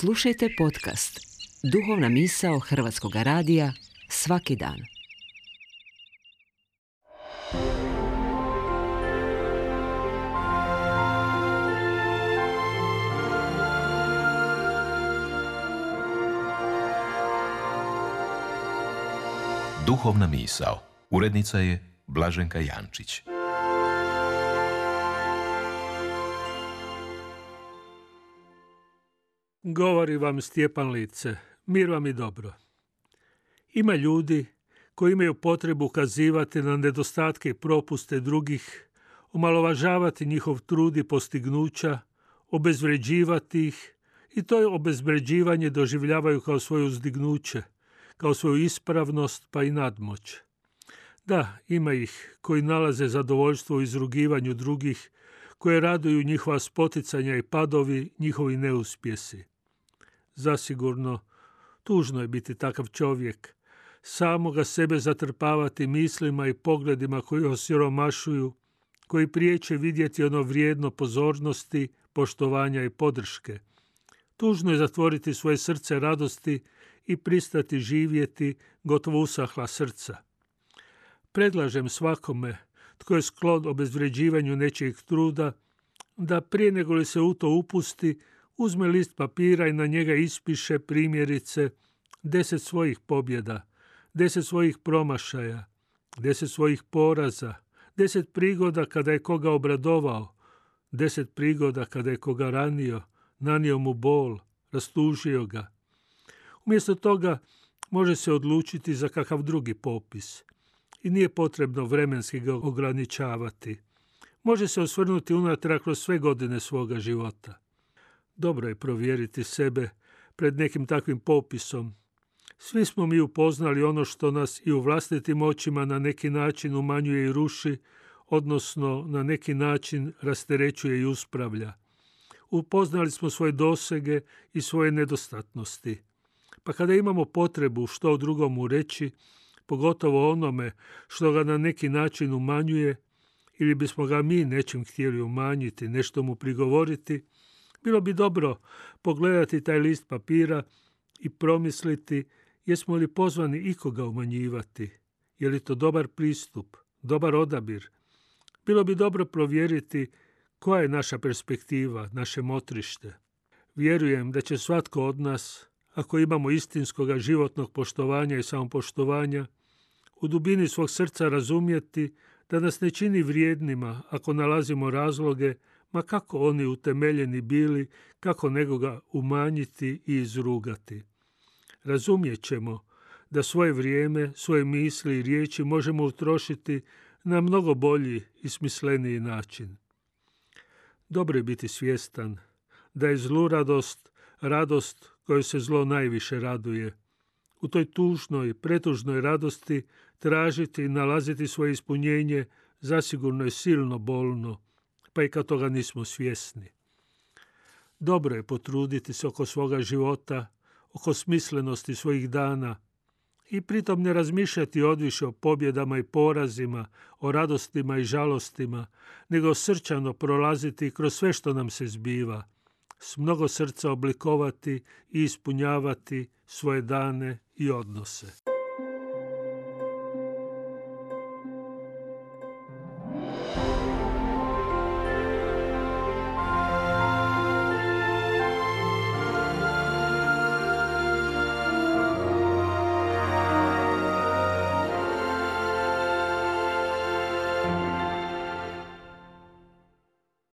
Slušajte podcast Duhovna misao Hrvatskog radija svaki dan. Duhovna misao. Urednica je Blaženka Jančić. Govori vam Stjepan Lice, mir vam i dobro. Ima ljudi koji imaju potrebu ukazivati na nedostatke i propuste drugih, omalovažavati njihov trud i postignuća, obezvređivati ih i to obezvređivanje doživljavaju kao svoje uzdignuće, kao svoju ispravnost pa i nadmoć. Da, ima ih koji nalaze zadovoljstvo u izrugivanju drugih, koje raduju njihova spoticanja i padovi, njihovi neuspjesi. Zasigurno, tužno je biti takav čovjek, samoga sebe zatrpavati mislima i pogledima koji osiromašuju, koji priječe vidjeti ono vrijedno pozornosti, poštovanja i podrške. Tužno je zatvoriti svoje srce radosti i pristati živjeti gotovo usahla srca. Predlažem svakome tko je sklon obezvređivanju nečijeg truda, da prije nego li se u to upusti, uzme list papira i na njega ispiše primjerice 10 svojih pobjeda, 10 svojih promašaja, 10 svojih poraza, 10 prigoda kada je koga obradovao, 10 prigoda kada je koga ranio, nanio mu bol, rastužio ga. Umjesto toga može se odlučiti za kakav drugi popis i nije potrebno vremenski ga ograničavati. Može se osvrnuti unatrag kroz sve godine svoga života. Dobro je provjeriti sebe pred nekim takvim popisom. Svi smo mi upoznali ono što nas i u vlastitim očima na neki način umanjuje i ruši, odnosno na neki način rasterećuje i uspravlja. Upoznali smo svoje dosege i svoje nedostatnosti. Pa kada imamo potrebu što o drugomu reći, pogotovo onome što ga na neki način umanjuje, ili bismo ga mi nečim htjeli umanjiti, nešto mu prigovoriti, bilo bi dobro pogledati taj list papira i promisliti jesmo li pozvani ikoga umanjivati, je li to dobar pristup, dobar odabir. Bilo bi dobro provjeriti koja je naša perspektiva, naše motrište. Vjerujem da će svatko od nas, ako imamo istinskoga životnog poštovanja i samopoštovanja, u dubini svog srca razumjeti da nas ne čini vrijednima ako nalazimo razloge, ma kako oni utemeljeni bili, kako nekoga umanjiti i izrugati. Razumjet ćemo da svoje vrijeme, svoje misli i riječi možemo utrošiti na mnogo bolji i smisleniji način. Dobro je biti svjestan da je zlu radost kojoj se zlo najviše raduje. U toj tužnoj, pretužnoj radosti tražiti i nalaziti svoje ispunjenje zasigurno je silno bolno, pa i kad toga nismo svjesni. Dobro je potruditi se oko svoga života, oko smislenosti svojih dana i pritom ne razmišljati odviše o pobjedama i porazima, o radostima i žalostima, nego srčano prolaziti kroz sve što nam se zbiva, s mnogo srca oblikovati i ispunjavati svoje dane i odnose.